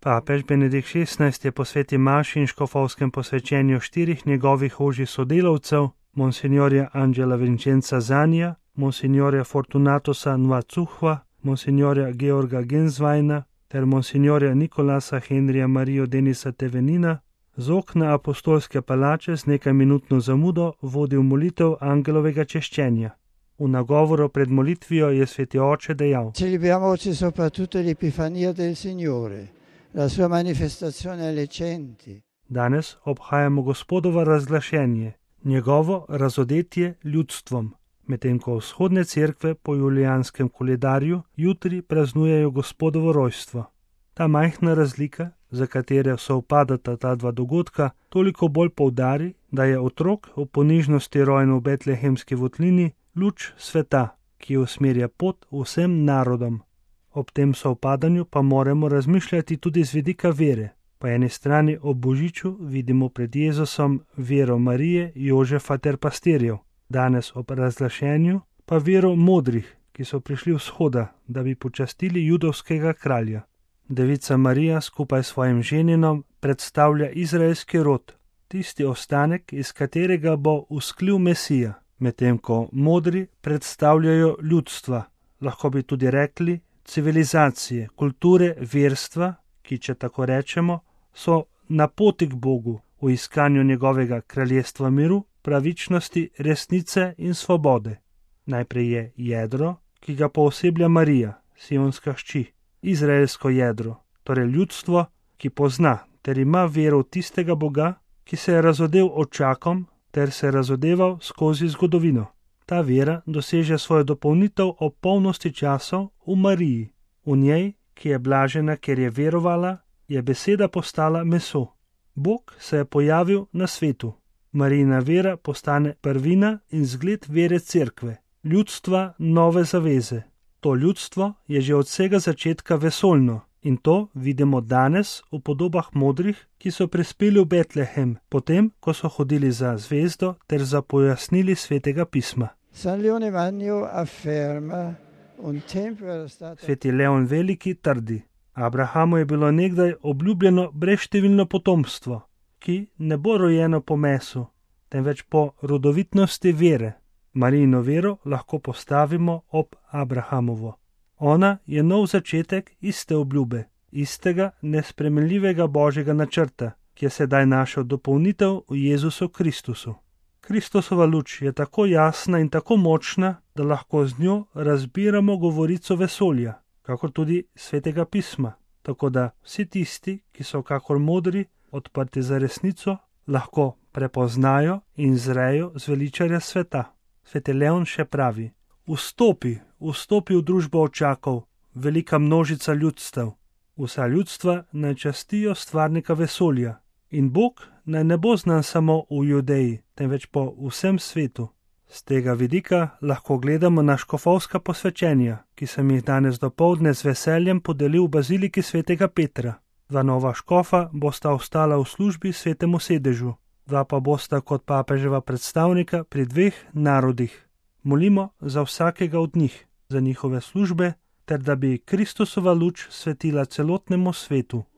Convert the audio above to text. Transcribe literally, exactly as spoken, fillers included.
Papež Benedikt šestnajsti je po sveti maši in škofovskem posvečenju štirih njegovih ožjih sodelavcev, monsignorja Angela Vincenza Zanija, monsignorja Fortunatosa Nvacuhva, monsignorja Georga Gensweina ter monsignorja Nikolasa Henrija Marijo Denisa Tevenina, z okna apostolske palače z nekaj minutno zamudo vodil molitev angelovega češčenja. V nagovoru pred molitvijo je sveti oče dejal: Celebriamo oggi soprattutto l'Epifania del Signore, la sua manifestazione alle genti. Danes obhajamo Gospodovo razglašenje, njegovo razodetje ljudstvom, medtem ko vzhodne cerkve po julijanskem koledarju jutri praznujejo Gospodovo rojstvo. Ta majhna razlika, za katere sovpadata ta dva dogodka, toliko bolj poudari, da je otrok v ponižnosti rojen v betlehemski votlini luč sveta, ki usmerja pot vsem narodom. Ob tem sovpadanju pa moramo razmišljati tudi z vidika vere. Po eni strani ob božiču vidimo pred Jezusom vero Marije, Jožefa ter pastirjev, danes ob razglašenju pa vero modrih, ki so prišli vzhoda, da bi počastili judovskega kralja. Devica Marija skupaj s svojim ženinom predstavlja izraelski rod, tisti ostanek, iz katerega bo vzklil Mesija, medtem ko modri predstavljajo ljudstva, lahko bi tudi rekli civilizacije, kulture, verstva, ki, če tako rečemo, so na poti k Bogu v iskanju njegovega kraljestva miru, pravičnosti, resnice in svobode. Najprej je jedro, ki ga pooseblja Marija, sionska hči, izraelsko jedro, torej ljudstvo, ki pozna ter ima vero v tistega Boga, ki se je razodel očakom ter se razodeval skozi zgodovino. Ta vera doseže svojo dopolnitev ob polnosti časov v Mariji. V njej, ki je blažena, ker je verovala, je beseda postala meso. Bog se je pojavil na svetu. Marijina vera postane prvina in zgled vere cerkve, ljudstva nove zaveze. To ljudstvo je že od vsega začetka vesoljno in to vidimo danes v podobah modrih, ki so prispeli v Betlehem, potem, ko so hodili za zvezdo ter za pojasnili svetega pisma. Sveti Leon Veliki trdi: Abrahamu je bilo nekdaj obljubljeno brezštevilno potomstvo, ki ne bo rojeno po mesu, temveč po rodovitnosti vere. Marijino vero lahko postavimo ob Abrahamovo. Ona je nov začetek iste obljube, istega nespremenljivega božjega načrta, ki je sedaj našel dopolnitev v Jezusu Kristusu. Kristusova luč je tako jasna in tako močna, da lahko z njo razbiramo govorico vesolja, kakor tudi svetega pisma, tako da vsi tisti, ki so kakor modri, odprti za resnico, lahko prepoznajo in zrejo zveličarja sveta. Sveti Leon še pravi: Vstopi, vstopi v družbo očakov, velika množica ljudstev. Vsa ljudstva naj častijo stvarnika vesolja in Bog naj ne bo znan samo v Judeji, temveč po vsem svetu. Z tega vidika lahko gledamo na škofovska posvečenja, ki sem jih danes dopoldne z veseljem podelil v baziliki svetega Petra. Dva nova škofa bosta ostala v službi svetemu sedežu, dva pa bosta kot papeževa predstavnika pri dveh narodih. Molimo za vsakega od njih, za njihove službe, ter da bi Kristusova luč svetila celotnemu svetu.